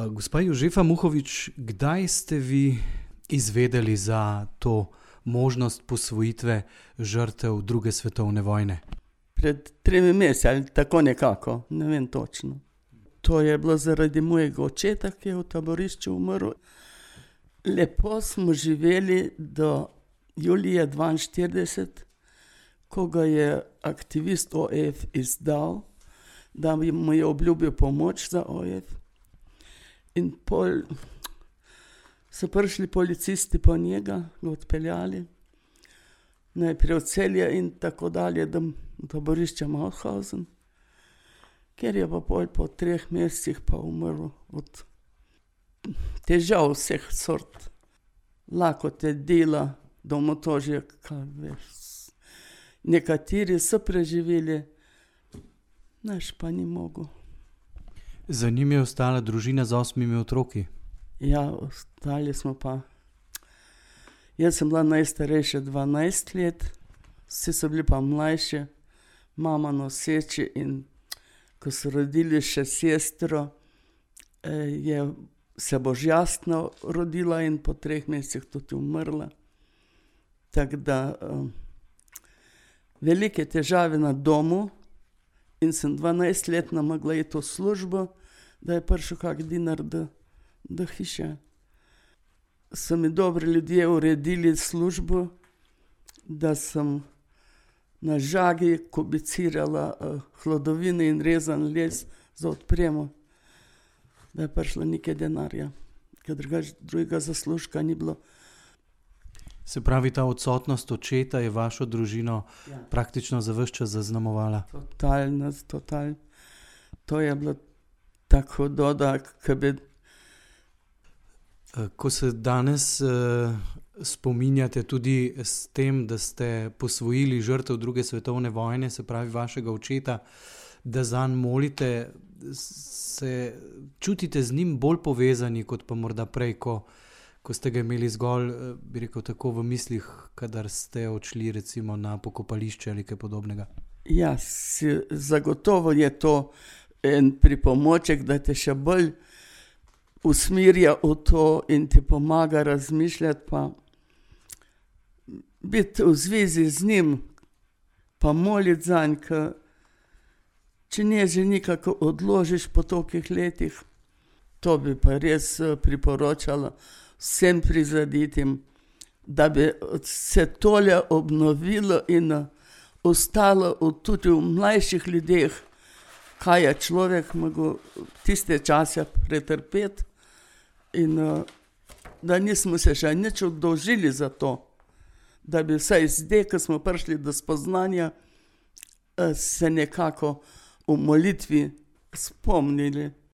Gospa Jožefa Muhovič, kdaj ste vi izvedeli za to možnost posvojitve žrtev druge svetovne vojne? Pred 3 meseci ali tako nekako, ne vem točno. To je bilo zaradi mojega očeta, ki je v taborišču umrl. Lepo smo živeli do julija 1942, ko ga je aktivist OF izdal, da mu je obljubil pomoč za OF. In pol so prišli policisti po njega, ga odpeljali, najprej v Celje in tako dalje, do taborišča Mauthausen, ker je pa pol po 3 mesecih pa umrl od težav vseh sort, lakote dela, domotožja, kaj veš. Nekateri so preživeli, naš pa ni mogel. Za njim je ostala družina z 8 otroki. Ja, ostali smo pa. Jaz sem bila najstarejša 12 let, vsi so bili pa mlajši, mama noseči, in ko so rodili še sestro, je se božjastno rodila in po 3 mesecih tudi umrla. Tako da velike težave na domu in sem 12-letna mogla iti v službo, da je prišel kak dinar do hiše. So mi dobri ljudje uredili službo, da sem na žagi kubicirala hlodovine in rezan les za odpremo, da je prišlo nekaj denarja, ker drugače drugega zaslužka ni bilo. Se pravi, ta odsotnost očeta je vašo družino praktično za ves čas zaznamovala? Totalno. To je bilo tako hudo, da bi... Ko se danes spominjate tudi s tem, da ste posvojili žrtev druge svetovne vojne, se pravi vašega očeta, da zanj molite, se čutite z njim bolj povezani kot pa morda prej, ko ste ga imeli zgolj, bi rekel, tako v mislih, kadar ste odšli recimo na pokopališče ali kaj podobnega? Ja, zagotovo je to en pripomoček, da te še bolj usmerja v to in ti pomaga razmišljati, pa biti v zvezi z njim, pa moliti zanj, če ne že nekako odložiš po tolikih letih. To bi pa res priporočala vsem prizadetim, da bi se tole obnovilo in ostalo tudi v mlajših ljudeh, kaj je človek mogel tiste čase pretrpeti, in da nismo se še nič oddolžili za to, da bi vsaj zdaj, ko smo prišli do spoznanja, se nekako v molitvi spomnili